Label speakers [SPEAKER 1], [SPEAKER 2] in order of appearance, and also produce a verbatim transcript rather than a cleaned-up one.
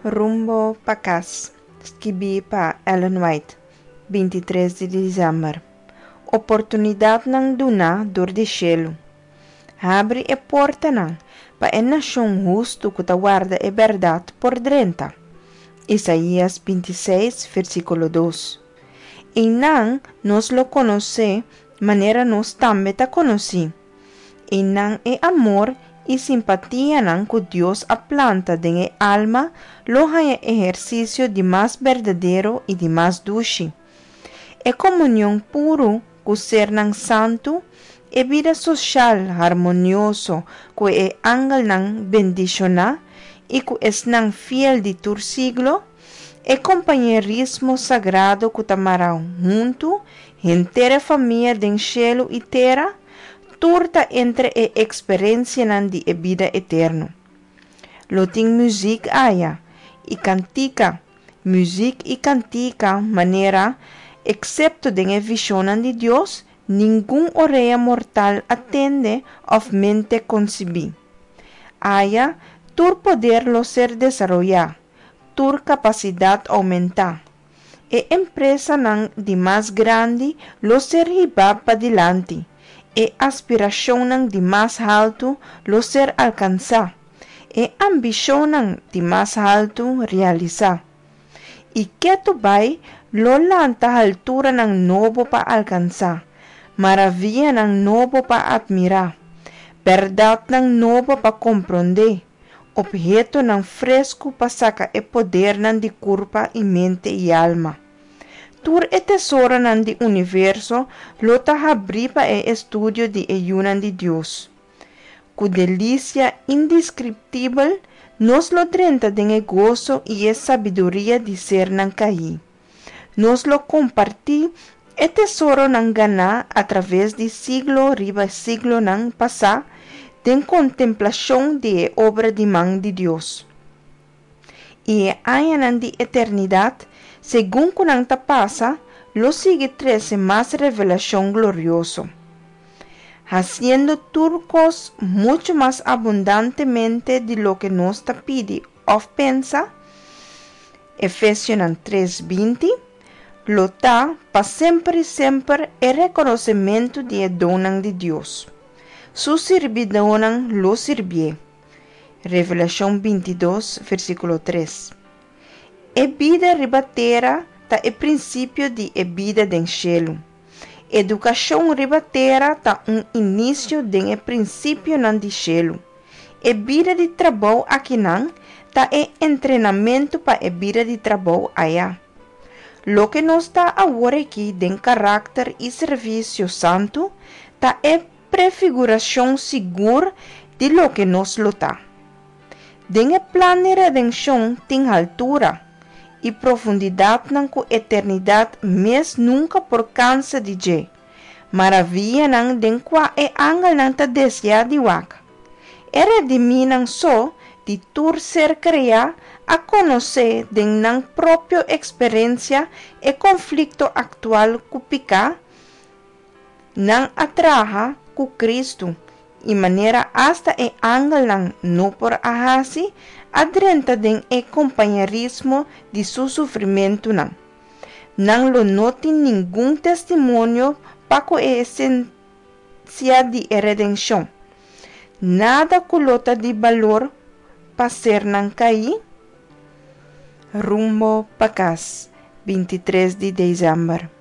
[SPEAKER 1] Rumbo pa Kas, skibí pa Ellen White, bintitres di desèmber. Oportunidatnan duná dor di shelu. Habri e portanan pa e nashon hustu ku ta warda e bèrdat por drenta. Isaías bintiseis, versíkulo dos. Einan nos lo konosé manera nos tambe ta konosí. Einan e amor i simpatianan ku Dios a planta den e alma lo haña ehersisio di mas berdadero i di mas dushi. E komunion puru ku sernan santu, e bida soshal harmonioso ku e angelnan bendishoná i ku esnan fiel di tur siglo, e kompañerismo sagrado ku ta mara huntu henter e famia den shelu i tera, tur ta entre e eksperensianan di e bida eterno. Lo tin muzik aya, i kantika, muzik i kantika manera, eksepto den e vishonnan di Dios, ningun orea mortal a tende òf mente konsibí. Aya, tur poder lo ser desaroyá, tur kapasidat oumentá. E empresanan di mas grandi lo ser hibá padilanti, e aspirashonnan di mas haltu lo ser alkansá, e ambishonnan di mas haltu realisá. I ketu bai lo lanta halturanan nobo pa alkansá, maravianan nobo pa atmirá, bèrdatnan nobo pa komprondé, ophetonan fresku pa saka e podernan di kurpa i mente i alma. Tur e tesoronan di universo lo ta habrí pa e estudio di e yunan di Dios. Ku delisia indeskriptibel nos lo drenta den e goso i e sabiduria di sernan kaí. Nos lo kompartí e tesoronan ganá atraves di siglo riba siglonan pasá den kontemplashon di e obra di man di Dios. I e añanan di eternidat, segun ku nan ta pasa, lo sigui trese mas revelashon glorioso, hasiendo tur kos muchu mas abundantemente di loke nos ta pidi òf pensa, Efesionan tres binti, lo ta pa semper i semper e rekonosementu di e donnan di Dios. Su sirbidónan lo sirbié. Revelashon bintidos, versíkulo tres. E bida riba tera ta e prinsipio di e bida den shelu. Edukashon riba tera ta un inisio den e prinsipionan di shelu. E bida di trabou akinan ta e entrenamentu pa e bida di trabou aya. Loke nos ta awor aki den karakter i servisio santu ta e prefigurashon sigur di loke nos lo ta. Den e plan di redenshon tin haltura i profundidatnan ku eternidat mes nunka por kansa di dje, maravianan den kua e angelnan ta deseá di wak. E redimínan so di tur ser kreá a konosé den nan propio eksperensia e konflikto aktual ku piká, nan a traha ku Kristu, i manera asta e angelnan no por a hasi, a drenta den e kompañerismo di su sufrimentunan. Nan lo no tin ningun testimonio pa ku e esensia di e redenshon. Nada ku lo ta di balor pa sernan kaí. Rumbo pa kas, bintitres di desèmber.